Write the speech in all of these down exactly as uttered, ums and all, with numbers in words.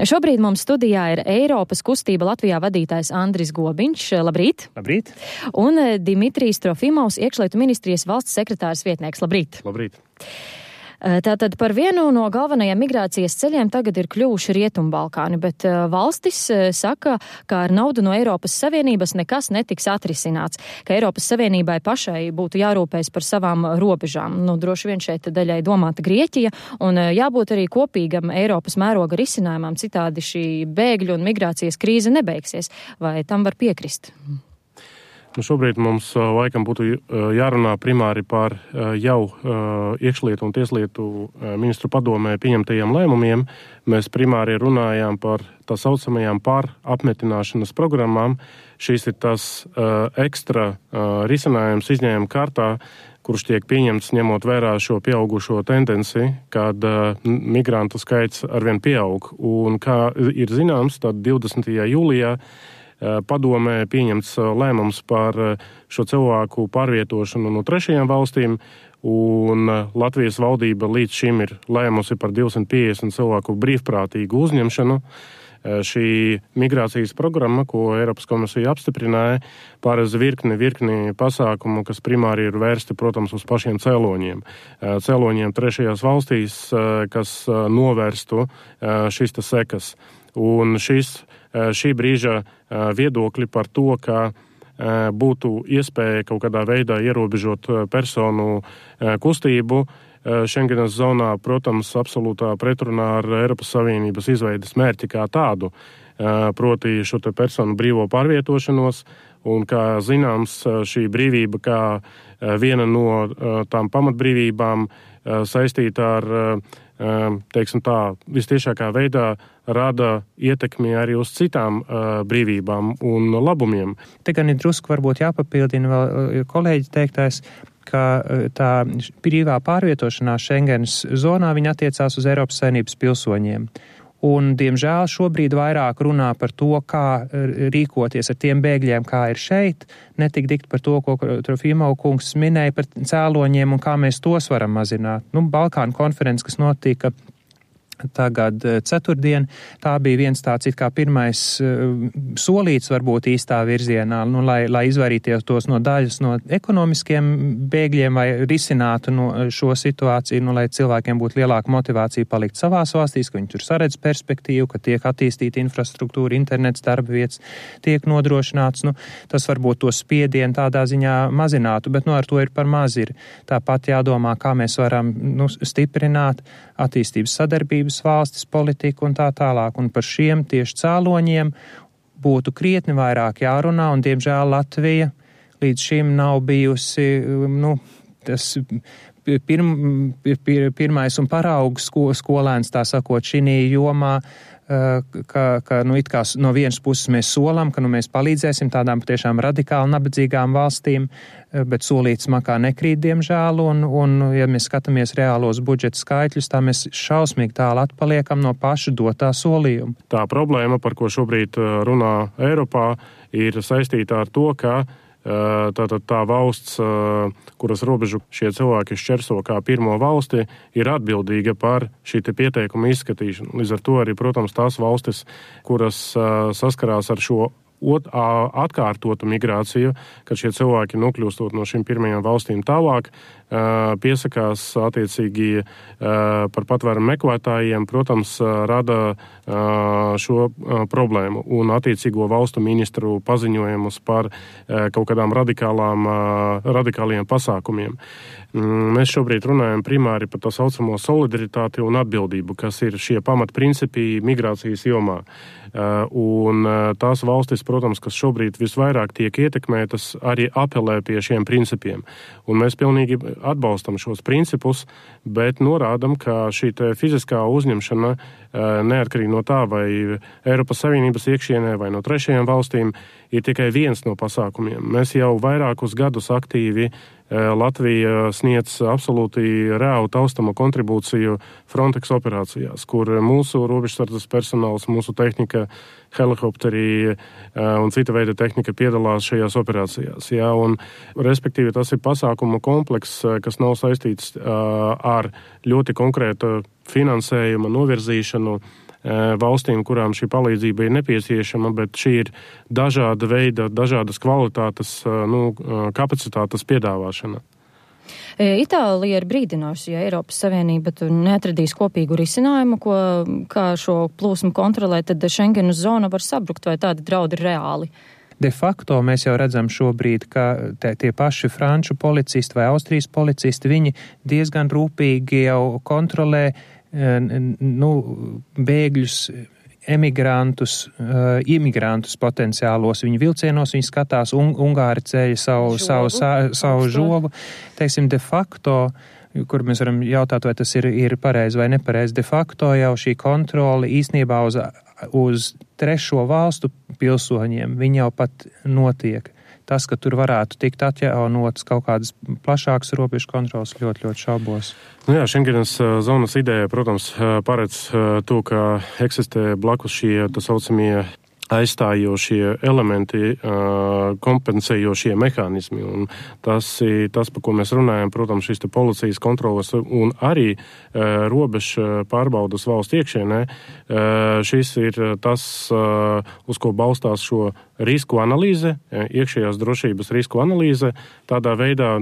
Šobrīd mums studijā ir Eiropas kustība Latvijā vadītājs Andris Gobiņš. Labrīt! Labrīt! Un Dimitrijs Trofimovs, iekšlietu ministrijas valsts sekretārs vietnieks. Labrīt! Labrīt! Tātad par vienu no galvenajiem migrācijas ceļiem tagad ir kļuvuši Rietumbalkāni, bet valstis saka, ka ar naudu no Eiropas Savienības nekas netiks atrisināts, ka Eiropas Savienībai pašai būtu jārūpējas par savām robežām. Nu, droši vien šeit daļai domāta Grieķija, un jābūt arī kopīgam Eiropas mēroga risinājumam, citādi šī bēgļu un migrācijas krīze nebeigsies. Vai tam var piekrist? Nu, šobrīd mums laikam būtu jārunā primāri par jau iekšlietu un tieslietu ministru padomē pieņemtajiem lēmumiem. Mēs primāri runājām par tā saucamajām pārapmetināšanas programmām. Šis ir tas ekstra risinājums izņēmuma kārtā, kurš tiek pieņemts ņemot vērā šo pieaugušo tendenci, kad migrantu skaits arvien pieaug. Un kā ir zināms, tad divdesmitajā jūlijā padomē pieņemts lēmums par šo cilvēku pārvietošanu no trešajām valstīm, un Latvijas valdība līdz šim ir lēmusi par divsimt piecdesmit cilvēku brīvprātīgu uzņemšanu. Šī migrācijas programma, ko Eiropas komisija apstiprināja, pārēdz virkni, virkni pasākumu, kas primāri ir vērsti, protams, uz pašiem cēloņiem. Cēloņiem trešajās valstīs, kas novērstu šīs tas sekas. Un šis, šī brīža viedokļi par to, ka būtu iespēja kaut kādā veidā ierobežot personu kustību Šengenas zonā, protams, absolūtā pretrunā ar Eiropas Savienības izveides mērķi kā tādu, proti šo te personu brīvo pārvietošanos, un kā zināms, šī brīvība kā viena no tām pamatbrīvībām saistīta ar, teiksim tā, vistiešākā veidā rada ietekmi arī uz citām uh, brīvībām un labumiem. Te gan ir drusku varbūt jāpapildina vēl kolēģi teiktais, ka tā brīvā pārvietošanās Schengenas zonā viņa attiecās uz Eiropas Savienības pilsoņiem. Un, diemžēl, šobrīd vairāk runā par to, kā rīkoties ar tiem bēgļiem, kā ir šeit, netik dikt par to, ko Trofimov kungs minēja par cēloņiem un kā mēs tos varam mazināt. Nu, Balkānu konferences, kas notika tagad ceturtdien, tā bija viens tāds it kā pirmais uh, solīts varbūt īstā virzienā, nu, lai, lai izvairīties tos no daļas no ekonomiskiem bēgļiem vai risinātu no šo situāciju, nu, lai cilvēkiem būtu lielāka motivācija palikt savās valstīs, ka viņi tur saredz perspektīvu, ka tiek attīstīta infrastruktūra, internets, darba vietas tiek nodrošināts. Nu, tas varbūt to spiedienu tādā ziņā mazinātu, bet nu, ar to ir par maz. Ir tāpat jādomā, kā mēs varam nu, stiprināt attīstības sadarbības valstis, politiku un tā tālāk. Un par šiem tieši cēloņiem būtu krietni vairāk jārunā, un diemžēl Latvija līdz šim nav bijusi, nu, tas pirm, pir, pirmais un paraugs sko, skolēns, tā sakot, šinī jomā, ka, ka nu, it kā no vienas puses mēs solam, ka nu, mēs palīdzēsim tādām patiešām radikāli nabadzīgām valstīm, bet solīts makā nekrīt, diemžēl, un, un ja mēs skatāmies reālos budžeta skaitļus, tā mēs šausmīgi tālu atpaliekam no paša dotā solījuma. Tā problēma, par ko šobrīd runā Eiropā, ir saistīta ar to, ka Tātad tā valsts, kuras robežu šie cilvēki šķerso kā pirmo valsti, ir atbildīga par šī te pieteikuma izskatīšanu. Līdz ar to arī, protams, tās valstis, kuras saskarās ar šo ot, atkārtotu migrāciju, kad šie cilvēki nokļūstot no šīm pirmajām valstīm tālāk, piesakās attiecīgi par patvērumu meklētājiem, protams, rada šo problēmu un attiecīgo valstu ministru paziņojumus par kaut kādām radikālām, radikāliem pasākumiem. Mēs šobrīd runājam primāri par tā saucamo solidaritāti un atbildību, kas ir šie pamatprincipi migrācijas jomā. Un tās valstis, protams, kas šobrīd visvairāk tiek ietekmētas, arī apelē pie šiem principiem. Un mēs pilnīgi atbalstam šos principus, bet norādam, ka šī te fiziskā uzņemšana, neatkarīgi no tā, vai Eiropas Savienības iekšienē vai no trešajām valstīm, ir tikai viens no pasākumiem. Mēs jau vairākus gadus aktīvi Latvija sniedz absolūti reālu taustama kontribūciju Frontex operācijās, kur mūsu robežsardzes personāls, mūsu tehnika, helikopteri un cita veida tehnika piedalās šajās operācijās. Jā, un, respektīvi, tas ir pasākumu komplekss, kas nav saistīts ar ļoti konkrētu finansējuma novirzīšanu valstīm, kurām šī palīdzība ir nepieciešama, bet šī ir dažāda veida, dažādas kvalitātes, nu, kapacitātes piedāvāšana. Itālija ir brīdinājusi, ja Eiropas Savienība tur neatradīs kopīgu risinājumu, ko, kā šo plūsmu kontrolēt, tad Schengenas zona var sabrukt, vai tādi draudi ir reāli. De facto mēs jau redzam šobrīd, ka te, tie paši franču policisti vai Austrijas policisti, viņi diezgan rūpīgi jau kontrolē nu, bēgļus, emigrantus, uh, imigrantus potenciālos. Viņi vilcienos, viņi skatās, un, Ungāri ceļa savu, žogu, savu, sa, savu žogu. Teiksim, de facto, kur mēs varam jautāt, vai tas ir, ir pareizi vai nepareizi, de facto jau šī kontrole īstenībā uz, uz trešo valstu pilsoņiem, viņi jau pat notiek. Tas, ka tur varētu tikt atjaunotas kaut kādas plašākas robežu kontrolas, ļoti, ļoti šaubos. Nu jā, Schengenas zonas ideja, protams, paredz to, ka eksistē blakus šie, tā saucamie, aizstājošie elementi, kompensējošie mehānismi. Un tas, tas, par ko mēs runājam, protams, šīs te policijas kontrolas un arī robežu pārbaudas valsts iekšienē, šis ir tas, uz ko balstās šo risku analīze, iekšējās drošības risku analīze, tādā veidā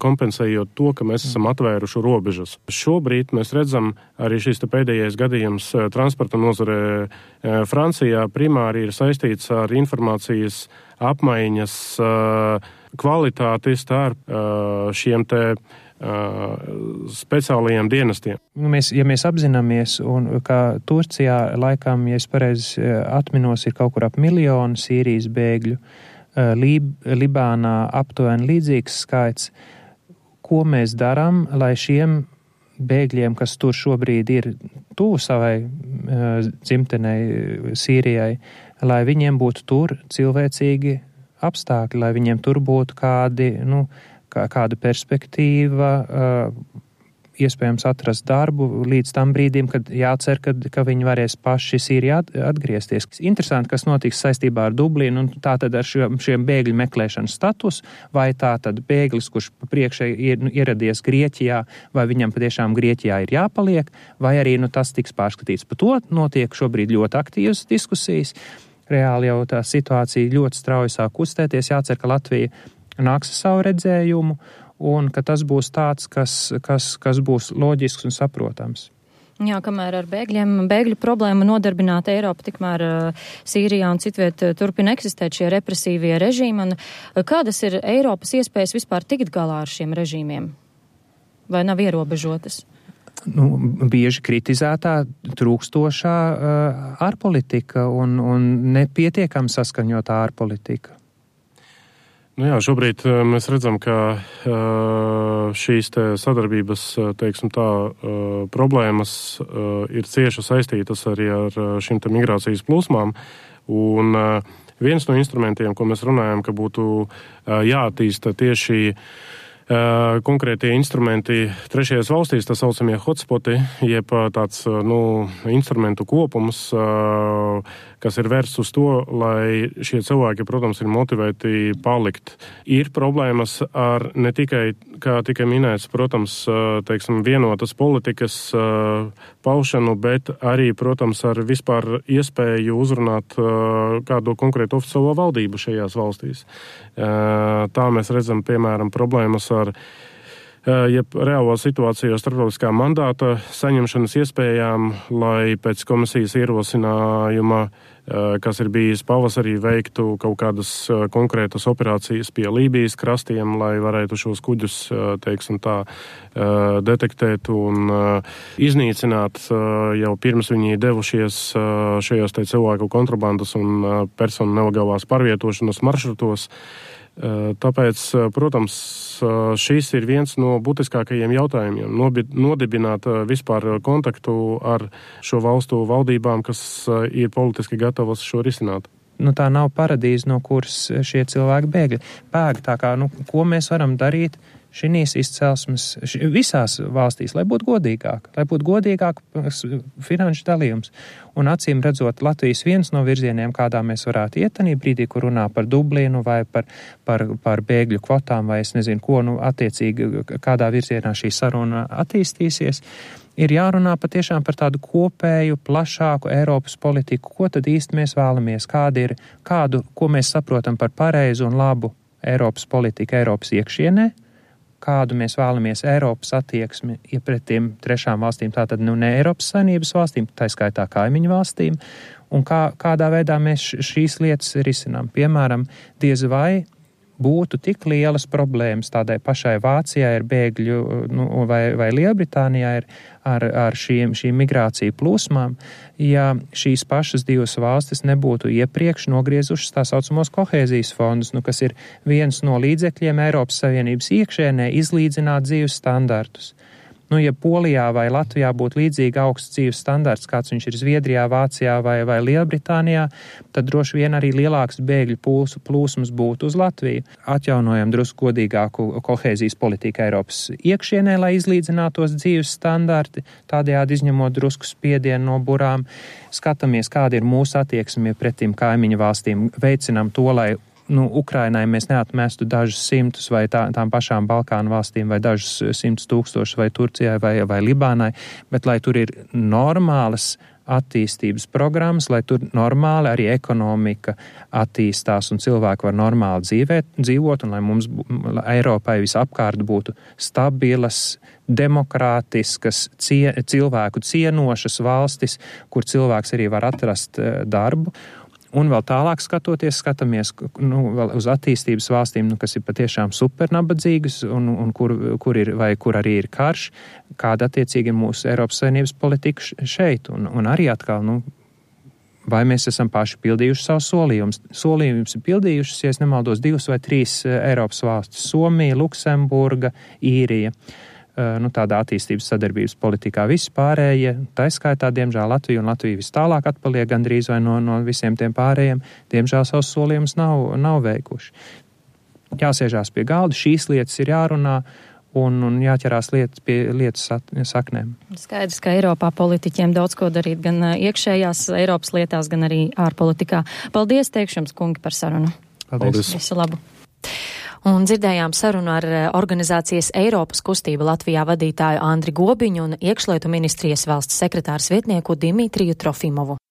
kompensējot to, ka mēs esam atvēruši robežas. Šobrīd mēs redzam arī šis te pēdējais gadījums transporta nozarē Francijā primāri ir saistīts ar informācijas apmaiņas kvalitāti starp šiem te speciālajiem dienestiem. Mēs, ja mēs apzināmies, un ka Turcijā laikam, ja es pareizi atminos, ir kaut kur ap miljonu Sīrijas bēgļu, Lib, Libānā aptuveni līdzīgs skaits, ko mēs darām, lai šiem bēgļiem, kas tur šobrīd ir tuvu savai uh, dzimtenei Sīrijai, lai viņiem būtu tur cilvēcīgi apstākļi, lai viņiem tur būtu kādi, nu, kā, kāda perspektīva, uh, iespējams atrast darbu līdz tam brīdim, kad jācer, kad, ka viņi varēs paši Sīrijā atgriezties. Interesanti, kas notiks saistībā ar Dublinu un tātad ar šiem, šiem bēgļu meklēšanas status, vai tātad bēglis, kurš priekšē ir nu, ieradies Grieķijā, vai viņam patiešām Grieķijā ir jāpaliek, vai arī nu, tas tiks pārskatīts. Par to notiek šobrīd ļoti aktīvas diskusijas. Reāli jau tā situācija ļoti strauji sāk kustēties. Jācer, ka Latvija nāks ar savu redzējumu, un ka tas būs tāds, kas, kas, kas būs loģisks un saprotams. Jā, kamēr ar bēgļiem, bēgļu problēmu nodarbināta Eiropa, tikmēr uh, Sīrijā un citviet uh, turpina eksistēt šie represīvie režīmi. Un, uh, kādas ir Eiropas iespējas vispār tikt galā ar šiem režīmiem? Vai nav ierobežotas? Nu, bieži kritizētā trūkstošā uh, ārpolitika un, un nepietiekam saskaņotā ārpolitika. Nu jā, šobrīd mēs redzam, ka šīs te sadarbības, teiksim tā, problēmas ir cieši saistītas arī ar šīm te migrācijas plūsmām. Un viens no instrumentiem, ko mēs runājam, ka būtu jāattīsta tieši konkrētie instrumenti trešajās valstīs, tā saucamie hotspoti, jeb tāds, nu, instrumentu kopums, kas ir vērsts uz to, lai šie cilvēki, protams, ir motivēti palikt. Ir problēmas ar ne tikai, kā tikai minēts, protams, teiksim, vienotas politikas paušanu, bet arī, protams, ar vispār iespēju uzrunāt kādu konkrētu oficiālo valdību šajās valstīs. Tā mēs redzam, piemēram, problēmas ar jeb reālo situāciju starptautiskā mandāta saņemšanas iespējām, lai pēc komisijas ierosinājuma, kas ir bijis pavasarī, veiktu kaut kādas konkrētas operācijas pie Lībijas krastiem, lai varētu šos kuģus, teiksim tā, detektēt un iznīcināt jau pirms viņi devušies šajos te cilvēku kontrabandas un personu nelegālās pārvietošanas maršrutos. Tāpēc, protams, šis ir viens no būtiskākajiem jautājumiem - nodibināt vispār kontaktu ar šo valstu valdībām, kas ir politiski gatavas šo risināt. Nu, tā nav paradīze, no kuras šie cilvēki bēgļi. Bēg, tā kā, nu, ko mēs varam darīt šīs izcelsmes, š, visās valstīs, lai būtu godīgāk, lai būtu godīgāk finanšu dalījums. Un acīm redzot, Latvijas viens no virzieniem, kādā mēs varētu iet tanī brīdī, kur runā par Dublinu vai par, par, par bēgļu kvotām vai es nezinu ko, nu, attiecīgi kādā virzienā šī saruna attīstīsies, ir jārunā patiešām par tādu kopēju, plašāku Eiropas politiku. Ko tad īsti mēs vēlamies? Kāda ir, kādu, ko mēs saprotam par pareizu un labu Eiropas politiku Eiropas iekšienē? Kādu mēs vēlamies Eiropas attieksmi pret tiem trešām valstīm, tātad nu ne Eiropas Savienības valstīm, tā skaitā kaimiņu valstīm, un kā, kādā veidā mēs šīs lietas risinām. Piemēram, diez vai būtu tik lielas problēmas tādai pašai Vācijai ar bēgļu nu, vai, vai Lielbritānijā ir ar, ar šīm, šīm migrāciju plūsmām, ja šīs pašas divas valstis nebūtu iepriekš nogriezušas tā saucamos kohēzijas fondus, nu, kas ir viens no līdzekļiem Eiropas Savienības iekšēnē izlīdzināt dzīves standartus. Nu, ja Polijā vai Latvijā būtu līdzīgi augsts dzīves standarts, kāds viņš ir Zviedrijā, Vācijā vai, vai Lielbritānijā, tad droši vien arī lielāks bēgļu plūs, plūsmas būtu uz Latviju. Atjaunojam drusku godīgāku kohēzijas politiku Eiropas iekšienē, lai izlīdzinātos dzīves standarti, tādējādi izņemot drusku spiedienu no burām. Skatāmies, kāda ir mūsu attieksme pretim kaimiņu valstīm, veicinām to, lai Nu, Ukrainai mēs neatmestu dažus simtus vai tā, tām pašām Balkānu valstīm vai dažus simtus tūkstošus vai Turcijai vai, vai Libānai, bet lai tur ir normālas attīstības programmas, lai tur normāli arī ekonomika attīstās un cilvēki var normāli dzīvēt, dzīvot un lai mums lai Eiropai visapkārt būtu stabilas, demokrātiskas, cie, cilvēku cienošas valstis, kur cilvēks arī var atrast darbu. Un vēl tālāk skatoties, skatāmies nu, vēl uz attīstības valstīm, nu, kas ir patiešām supernabadzīgas un, un kur, kur, ir, vai kur arī ir karš, kāda attiecīgi ir mūsu Eiropas Savienības politika šeit. Un, un arī atkal, nu, vai mēs esam paši pildījuši savus solījumus. Solījumus ir pildījušas, ja es nemaldos, divas vai trīs Eiropas valstis - Somija, Luksemburga, Īrija. Nu, tādā attīstības sadarbības politikā visi pārējie, tā skaitā, diemžēl Latvija un Latvija vis tālāk atpaliek gandrīz vai no, no visiem tiem pārējiem, diemžēl savus solījumus nav, nav veikuši. Jāsēžās pie galda, šīs lietas ir jārunā un, un jāķerās lietas pie lietas saknēm. Skaidrs, ka Eiropā politiķiem daudz ko darīt gan iekšējās Eiropas lietās, gan arī ārpolitikā. Paldies, teikšu jums, kungi, par sarunu. Paldies. Visu labu. Un dzirdējām sarunu ar organizācijas Eiropas kustība Latvijā vadītāju Andri Gobiņu un iekšlietu ministrijas valsts sekretārs vietnieku Dimitriju Trofimovu.